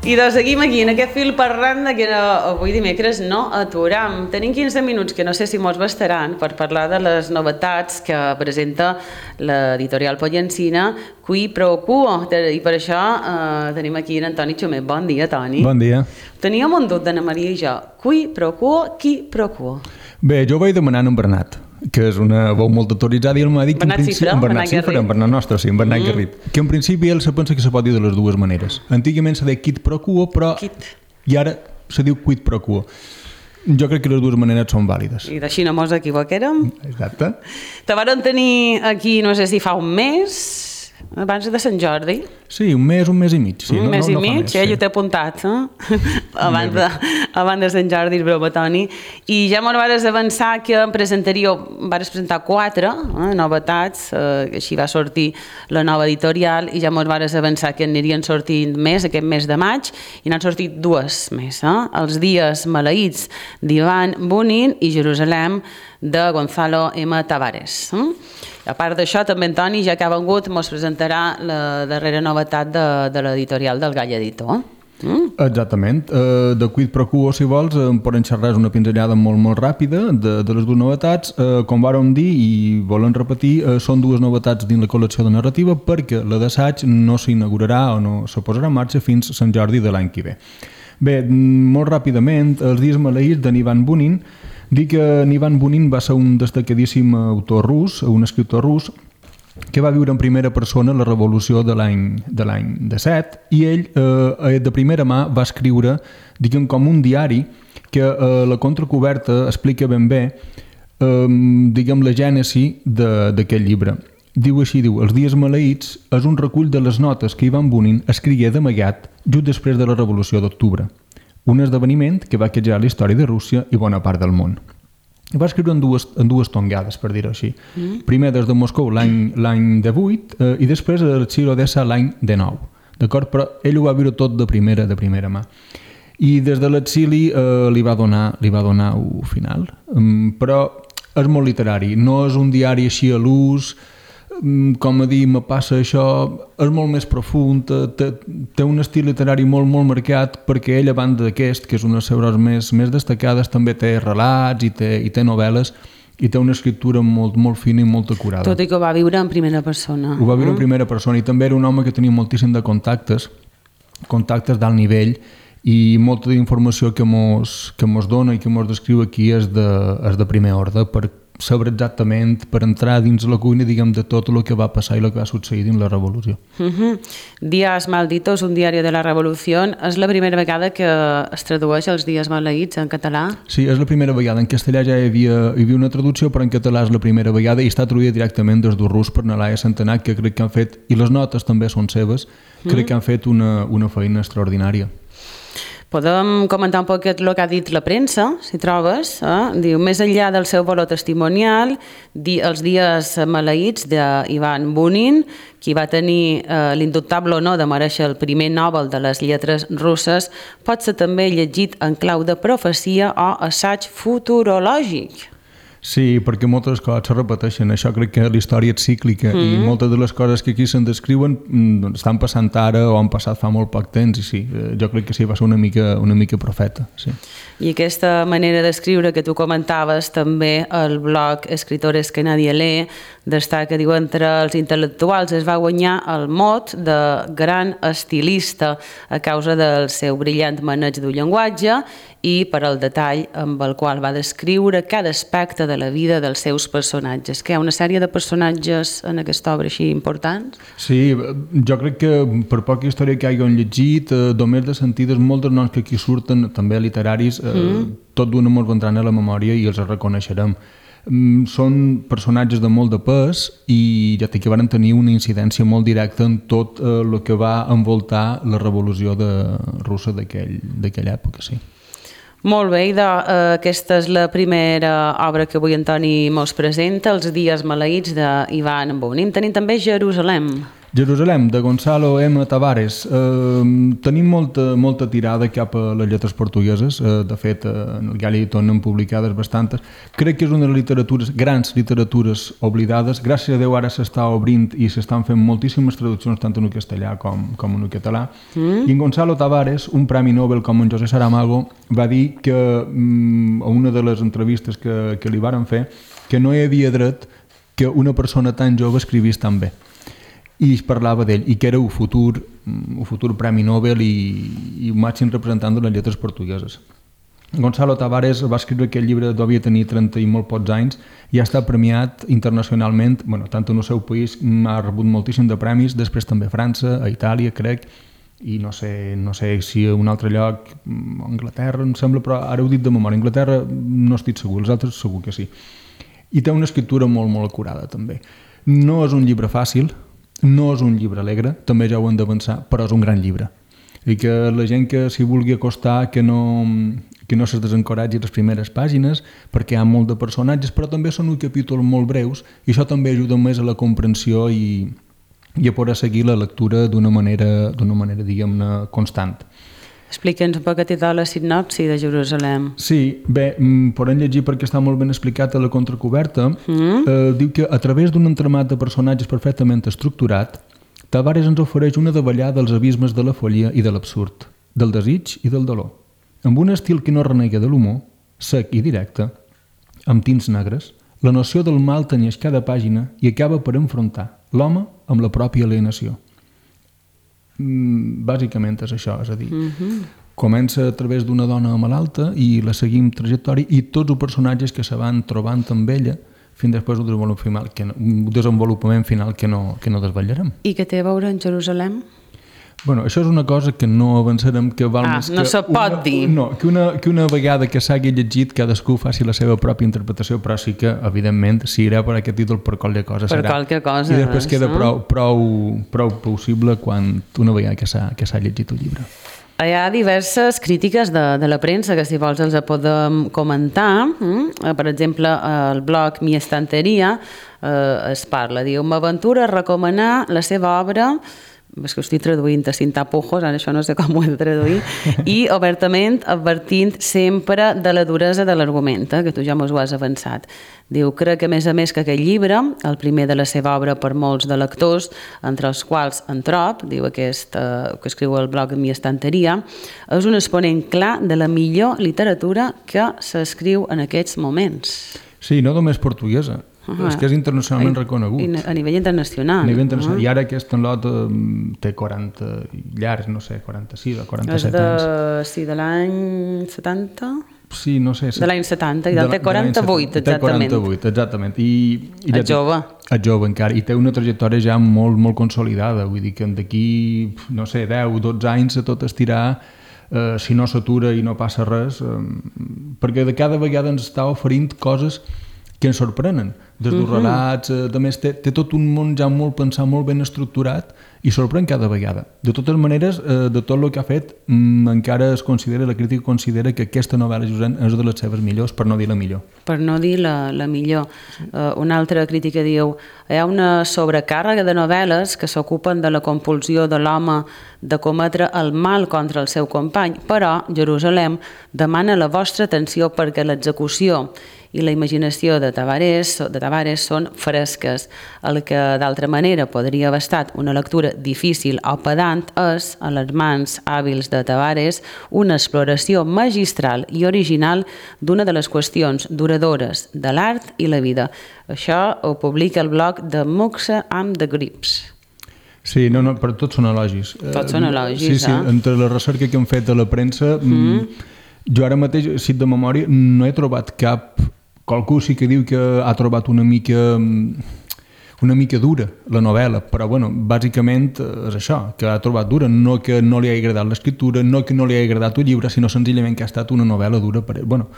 I doncs seguim aquí, en aquest fil parlant que avui dimecres no aturam. Tenim 15 minuts, que no sé si mos bastaran, per parlar de les novetats que presenta l'editorial Pollancina, Qui Pro Quo. I per això tenim aquí en Toni Xumet. Bon dia, Toni. Bon dia. Teníem un dubte d'Anna Maria i jo. Qui Pro Quo, qui Pro Quo? Bé, jo vaig demanar en Bernat, que és una veu molt autoritzada, i ell m'ha dit que en principi... En Bernat nostre, sí, en Bernat Garrip. Que en principi ell se pensa que se pot dir de les dues maneres. Antigament se deia quid pro quo, però... I ara se diu quid pro quo. Jo crec que les dues maneres són vàlides. I d'així no mos equivoquérem. Exacte. Te varen tenir aquí, no sé si fa un mes, abans de Sant Jordi. Sí, un mes i mig. Sí, un mes i mig, jo t'he apuntat, abans de Sant Jordi, és broma, Toni. I ja m'ho vares avançar que em vares presentar 4 novetats, així va sortir la nova editorial, i ja m'ho vares avançar que anirien sortint més aquest mes de maig, i n'han sortit 2 més. Els dies maleïts d'Ivan Bunin i Jerusalem de Gonzalo M. Tavares. A part d'això, també en Toni, ja que ha vengut, ens presentarà la darrera novetat de l'editorial del Gall Editor. Exactament. De Quid Pro Quo, si vols, em poden xerrar una pinzellada molt ràpida de les dues novetats. Com vàrem dir i volen repetir, són 2 novetats dins la col·lecció de narrativa, perquè la d'assaig no s'inaugurarà o no se posarà en marxa fins a Sant Jordi de l'any que ve. Bé, molt ràpidament, Els dies maleïts de Ivan Bunin. Dic que Ivan Bunin va ser un destacadíssim autor rus, un escriptor rus, que va viure en primera persona la revolució de l'any 17, i ell de primera mà va escriure, diguem, com un diari que la contracoberta explica ben bé, diguem, la gènesi d'aquest llibre. Diu així, Els dies maleïts és un recull de les notes que Ivan Bunin escrigué d'amagat just després de la revolució d'octubre, un esdeveniment que va quejar la història de Rússia i bona part del món. Va escriure en dues tongades, per dir-ho així. Primer des de Moscou l'any 18 i després a l'exili Odessa l'any 19. D'acord? Però ell ho va viure tot de primera mà. I des de l'exili li va donar un final. Però és molt literari, no és un diari així a l'ús, com a dir, me passa això, és molt més profund, té un estil literari molt marcat, perquè ell, a banda d'aquest, que és una de les seves més destacades, també té relats i té novel·les, i té una escriptura molt fina i molt acurada. Tot i que ho va viure en primera persona. Ho va viure en primera persona, i també era un home que tenia moltíssim de contactes d'alt nivell, i molta d'informació que mos dona i que mos descriu aquí és de primer ordre, per saber exactament, per entrar dins la cuina, diguem, de tot el que va passar i el que va succeir dins la revolució. Días malditos, un diari de la revolució, és la primera vegada que es tradueix els dies maleïts en català? Sí, és la primera vegada. En castellà ja hi havia una traducció, però en català és la primera vegada i està traduïda directament des del rus per Nalaia Centenach, que crec que han fet, i les notes també són seves, crec que han fet una feina extraordinària. Podem comentar un poquet el que ha dit la premsa, si trobes. Diu, més enllà del seu valor testimonial, els dies maleïts d'Ivan Bunin, qui va tenir l'indubtable honor de merèixer el primer Nobel de les lletres russes, pot ser també llegit en clau de profecia o assaig futurològic. Sí, perquè moltes coses se repeteixen. Això crec que la història és cíclica i moltes de les coses que aquí se'n descriuen estan passant ara o han passat fa molt poc temps, i sí, jo crec que sí, va ser una mica profeta. Sí. I aquesta manera d'escriure que tu comentaves també el blog Escritores que nadie lee destaca, diu, entre els intel·lectuals es va guanyar el mot de gran estilista a causa del seu brillant maneig del llenguatge i per al detall amb el qual va descriure cada aspecte de la vida dels seus personatges. Que hi ha una sèrie de personatges en aquesta obra així importants? Sí, jo crec que per poca història que hagin llegit, només de sentides, molts dels noms que aquí surten, també literaris, tot d'una mos vendran a la memòria i els reconeixerem. Són personatges de molt de pes i ja que van tenir una incidència molt directa en tot el que va envoltar la revolució russa d'aquella època, sí. Molt bé, aquesta és la primera obra que avui en Toni mos presenta, Els dies maleïts d'Ivan Bunin. Tenim també Jerusalem. Jerusalem, de Gonzalo M. Tavares. Tenim molta tirada cap a les lletres portugueses. De fet, en el Gall Editor n'han publicades bastantes. Crec que és una de les literatures, grans literatures oblidades. Gràcies a Déu ara s'està obrint i s'estan fent moltíssimes traduccions tant en el castellà com en el català. I en Gonzalo Tavares, un premi Nobel com en José Saramago, va dir que a una de les entrevistes que li varen fer que no hi havia dret que una persona tan jove escrivís tan bé. I es parlava d'ell, i que era un futur Premi Nobel i un màxim representant de les lletres portugueses. Gonzalo Tavares va escriure aquest llibre, devia tenir 30 i molt pocs anys, i ha estat premiat internacionalment, tant en el seu país, ha rebut moltíssim de premis, després també a França, a Itàlia, crec, i no sé si a un altre lloc, a Anglaterra, em sembla, però ara ho he dit de memòria, a Anglaterra no estic segur, els altres segur que sí. I té una escriptura molt, molt acurada, també. No és un llibre fàcil, no és un llibre alegre, també ja ho hem d'avançar, però és un gran llibre. I que la gent que s'hi vulgui acostar, que no se desencoratgi les primeres pàgines, perquè hi ha molt de personatges, però també són uns capítols molt breus, i això també ajuda més a la comprensió i a poder seguir la lectura d'una manera diguem-ne, constant. Explica'ns un poc a títol la sinopsi de Jerusalem. Sí, bé, podem llegir perquè està molt ben explicat a la contracoberta. Diu que a través d'un entramat de personatges perfectament estructurat, Tavares ens ofereix una davallada dels abismes de la follia i de l'absurd, del desig i del dolor, amb un estil que no renega de l'humor, sec i directe, amb tints negres. La noció del mal tenyeix cada pàgina i acaba per enfrontar l'home amb la pròpia alienació. Bàsicament és això, és a dir, comença a través d'una dona malalta i la seguim trajectòria i tots els personatges que se van trobant amb ella fins després un desenvolupament final que no desvetllarem. I què té a veure en Jerusalem? Bueno, això és una cosa que no avançarem, que val més que... no se pot dir. No, que una vegada que s'hagi llegit cadascú faci la seva pròpia interpretació, però sí que, evidentment, si irà per aquest títol per qualque cosa serà. Per qualque cosa. I després queda prou possible quan una vegada que s'ha llegit el llibre. Hi ha diverses crítiques de la premsa que si vols els podem comentar. Per exemple, el blog Mi Estanteria es parla, diu: m'aventura a recomanar la seva obra, és que ho estic traduint a sin tapujos, ara això no sé com ho he de traduir, i obertament advertint sempre de la duresa de l'argument, que tu ja mos ho has avançat. Diu, crec que a més que aquest llibre, el primer de la seva obra per molts de lectors, entre els quals en trob, diu aquest que escriu el blog Mi Estanteria, és un exponent clar de la millor literatura que s'escriu en aquests moments. Sí, no només portuguesa. És que és internacionalment reconegut. A nivell internacional. I ara aquest lot té 40 llargs, no sé, 46 o 47 anys. Sí, de l'any 70? Sí, no sé. De l'any 70, i del té 48, exactament. Té 48, exactament. És jove. És jove encara, i té una trajectòria ja molt, molt consolidada. Vull dir que d'aquí, no sé, 10, 12 anys a tot estirar, si no s'atura i no passa res, perquè de cada vegada ens està oferint coses que ens sorprenen, des dels relats, a més té tot un món ja molt pensat, molt ben estructurat i sorprèn cada vegada. De totes maneres, de tot el que ha fet, encara es considera, la crítica considera que aquesta novel·la és de les seves millors, per no dir la millor. Per no dir la millor. Una altra crítica diu: hi ha una sobrecàrrega de novel·les que s'ocupen de la compulsió de l'home de cometre el mal contra el seu company, però Jerusalem demana la vostra atenció perquè l'execució i la imaginació de Tavares són fresques. El que d'altra manera podria haver estat una lectura difícil o pedant és, a les mans hàbils de Tavares, una exploració magistral i original d'una de les qüestions duradores de l'art i la vida. Això ho publica el blog de Muxa amb the Grips. Sí, però tots són elogis. Tots són elogis, sí, entre la recerca que hem fet a la premsa, jo ara mateix, si de memòria, no he trobat cap... Qualcú sí que diu que ha trobat una mica dura la novel·la, però bueno, bàsicament és això, que ha trobat dura, no que no li hagi agradat l'escriptura, no que no li hagi agradat el llibre, sinó senzillament que ha estat una novel·la dura per ell. Bueno,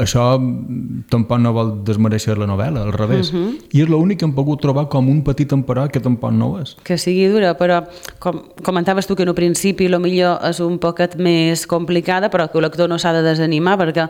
això tampoc no vol desmereixer la novel·la, al revés. I és l'únic que hem pogut trobar com un petit emperò que tampoc no ho és. Que sigui dura, però com comentaves tu que en un principi millor és un poquet més complicada, però que el lector no s'ha de desanimar, perquè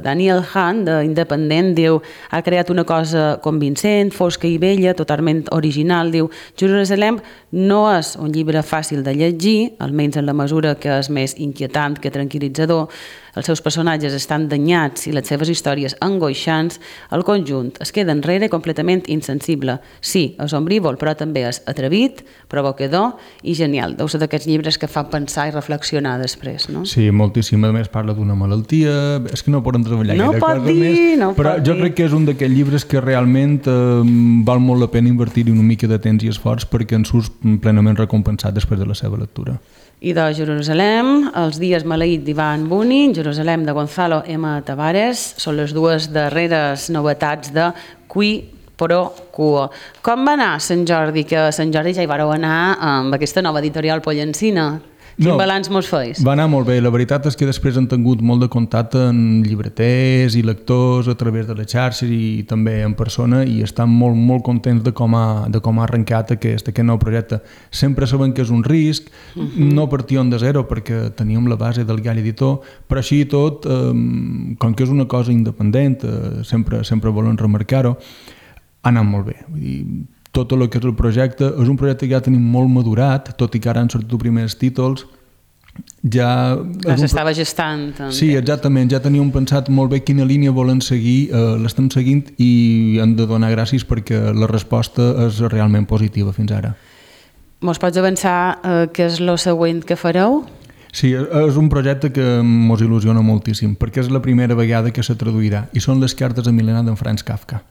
Daniel Hahn, d'Independent, diu: ha creat una cosa convincent, recent, fosca i vella, totalment original. Diu, Jerusalem no és un llibre fàcil de llegir, almenys en la mesura que és més inquietant que tranquil·litzador. Els seus personatges estan danyats i les seves històries angoixants. El conjunt es queda enrere completament insensible. Sí, és ombrívol, però també és atrevit, provocador i genial. Deu ser d'aquests llibres que fa pensar i reflexionar després, no? Sí, moltíssim. A més parla d'una malaltia, és que no poden treballar gaire cosa més, però jo crec que és un d'aquells llibres que realment val molt la pena invertir-hi una mica de temps i esforç perquè en surts plenament recompensat després de la seva lectura. I de Jerusalem, Els dies maleïts d'Ivan Bunin, Jerusalem de Gonzalo M. Tavares, són les dues darreres novetats de Qui Pro Quo. Com va anar Sant Jordi? Que a Sant Jordi ja hi vareu anar amb aquesta nova editorial Pollencina. Quin balanç mos feis? Va anar molt bé. La veritat és que després han tingut molt de contacte amb llibreters i lectors a través de les xarxes i també en persona i estan molt, molt contents de com ha arrencat aquest nou projecte. Sempre sabem que és un risc, no partíem de zero perquè teníem la base del Gall Editor, però així i tot, com que és una cosa independent, sempre volen remarcar-ho, ha anat molt bé. Vull dir, tot el que és el projecte, és un projecte que ja tenim molt madurat, tot i que ara han sortit els primers títols, ja... S'estava gestant. També. Sí, exactament, ja teníem pensat molt bé quina línia volen seguir, l'estem seguint i hem de donar gràcies perquè la resposta és realment positiva fins ara. Mos pots avançar què és el següent que fareu? Sí, és un projecte que mos il·lusiona moltíssim, perquè és la primera vegada que se traduirà, i són les cartes a Milena d'en Franz Kafka.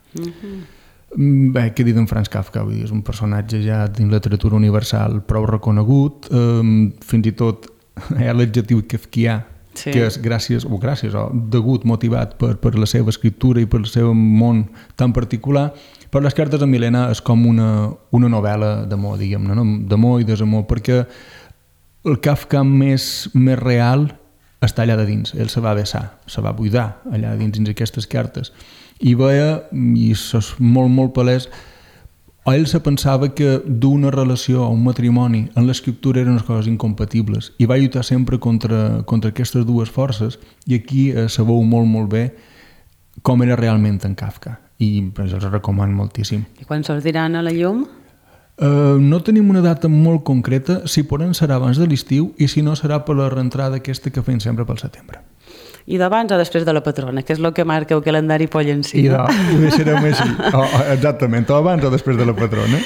Bé, què he dit d'en Franz Kafka? Vull dir, és un personatge ja dins la literatura universal prou reconegut, fins i tot hi ha l'adjectiu kafkià, sí, que és gràcies o degut, motivat per la seva escriptura i per el seu món tan particular, però les cartes a Milena és com una novel·la d'amor, diguem-ne, no? D'amor i desamor, perquè el Kafka més real està allà de dins, ell se va vessar, se va buidar allà dins aquestes cartes. I veia, i és molt, molt palès, ell se pensava que d'una relació o un matrimoni en l'escriptura eren unes coses incompatibles i va lluitar sempre contra aquestes dues forces i aquí se veu molt, molt bé com era realment en Kafka i els recomano moltíssim. I quan sortiran a la llum? No tenim una data molt concreta, si poden serà abans de l'estiu i si no serà per la reentrada aquesta que fem sempre pel setembre. I d'abans o després de la patrona, que és el que marca el calendari Pollencina. Ho deixarem així, exactament, o abans o després de la patrona.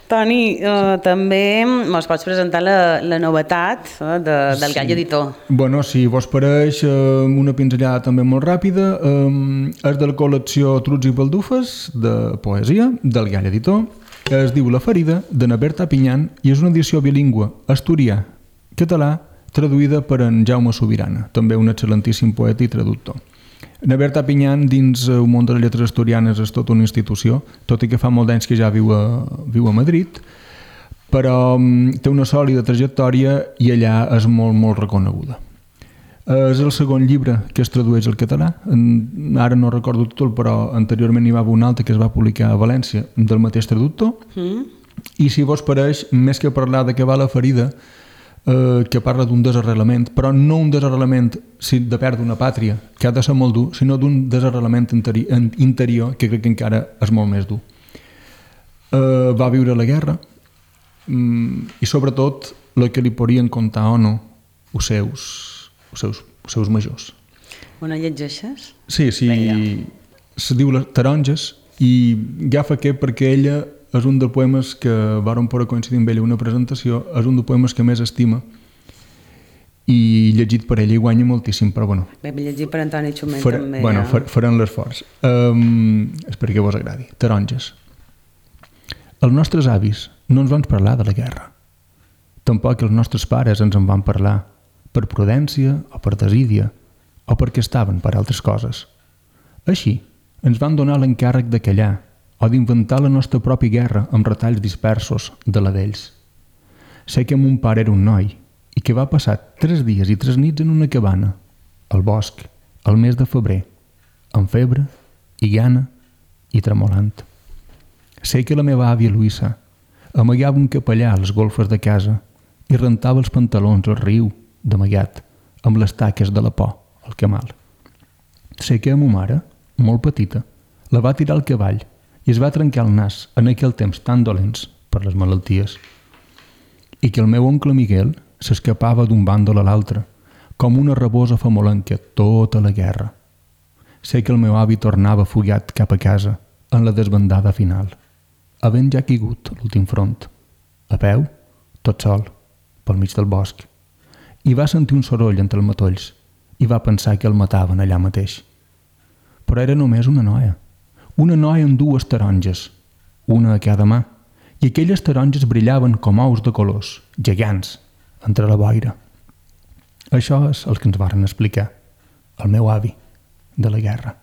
Toni, també ens pots presentar la novetat del Gall Editor. Bueno, si vos pareix una pinzellada també molt ràpida, és de la col·lecció Trucs i Baldufes de poesia del Gall Editor, es diu La ferida, de Naberta Pinyan, i és una edició bilingüe asturià, català, traduïda per en Jaume Sobirana, també un excel·lentíssim poeta i traductor. Naberta Pinyan, dins el món de les lletres asturianes, és tota una institució, tot i que fa molt d'anys que ja viu a Madrid, però té una sòlida trajectòria i allà és molt, molt reconeguda. És el segon llibre que es tradueix al català, ara no recordo tot, però anteriorment hi va haver un altre que es va publicar a València del mateix traductor, i si vos pareix, més que parlar de què va la ferida, que parla d'un desarrelament, però no un desarrelament de perdre una pàtria, que ha de ser molt dur, sinó d'un desarrelament interior que crec que encara és molt més dur. Va viure la guerra i sobretot el que li podrien contar o no els seus majors. Una llegeixes? Sí, se diu Les taronges i agafa aquest perquè ella és un dels poemes que vàrem poder coincidir amb ella una presentació, és un dels poemes que més estima i llegit per ella i guanya moltíssim, però bueno. Bé, llegit per Antoni Xumet també. Bueno, faran l'esforç. Espero que vos agradi. Taronges. Els nostres avis no ens van parlar de la guerra. Tampoc els nostres pares ens en van parlar, per prudència o per desídia, o perquè estaven per altres coses. Així, ens van donar l'encàrrec de callar o d'inventar la nostra pròpia guerra amb retalls dispersos de la d'ells. Sé que mon pare era un noi i que va passar 3 dies i 3 nits en una cabana, al bosc, al mes de febrer, amb febre i gana i tremolant. Sé que la meva àvia Luisa amagava un capellà a les golfes de casa i rentava els pantalons al riu, d'amagat, amb les taques de la por, al camal. Sé que a ma mare, molt petita, la va tirar al cavall i es va trencar el nas en aquell temps tan dolents per les malalties, i que el meu oncle Miguel s'escapava d'un bàndol a l'altre, com una rabosa famolenca tota la guerra. Sé que el meu avi tornava fugat cap a casa en la desbandada final, havent ja caigut a l'últim front, a peu, tot sol, pel mig del bosc, i va sentir un soroll entre els matolls i va pensar que el mataven allà mateix. Però era només una noia amb dues taronges, una a cada mà, i aquelles taronges brillaven com ous de colors, gegants, entre la boira. Això és el que ens varen explicar, el meu avi, de la guerra,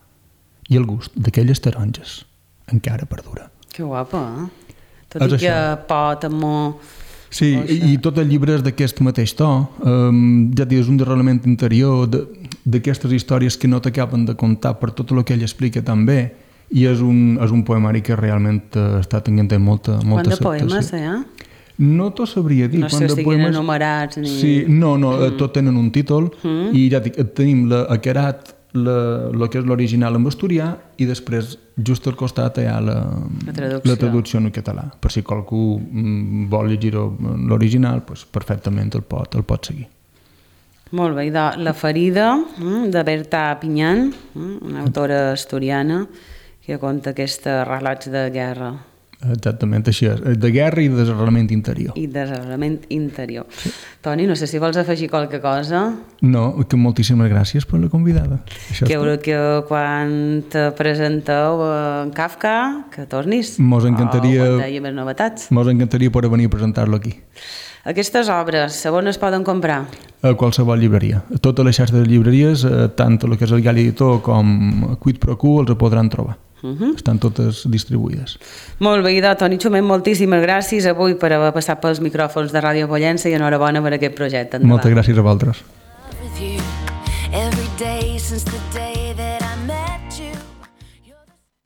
i el gust d'aquelles taronges encara perdura. Que guapa, eh? Tot i que pot, amor... Sí, i tot el llibre és d'aquest mateix to. Ja és un derrelament interior d'aquestes històries que no t'acaben de contar per tot el que ell explica tan bé, i és un poemari que realment està tenint molta Quant de poemes, No t'ho sabria dir. No sé si estiguin enumerats ni... Sí, no, tot tenen un títol, i ja dic, tenim a Querat el que és l'original en asturià, i després just al costat hi ha la traducció en català. Per si qualcú vol llegir l'original, doncs perfectament el pot seguir. Molt bé, La ferida, de Berta Pinyant, una autora asturiana que conta aquests relats de guerra. Exactament, així és. De guerra i de desarrelament interior. Sí. Toni, no sé si vols afegir qualque cosa. No, que moltíssimes gràcies per la convidada. Que quan te presenteu en Kafka, que tornis. Mos encantaria... O quan hi ha més novetats. Mos encantaria poder venir a presentar-lo aquí. Aquestes obres, on es poden comprar? A qualsevol llibreria. A totes les xarxes de llibreries, tant el que és el Gal Editor com Quid Pro Quo, els podran trobar. Estan totes distribuïdes. Molt bé, Toni Xumet, moltíssimes gràcies avui per haver passat pels micròfons de Ràdio Pollença i enhorabona per aquest projecte. Moltes gràcies a vosaltres.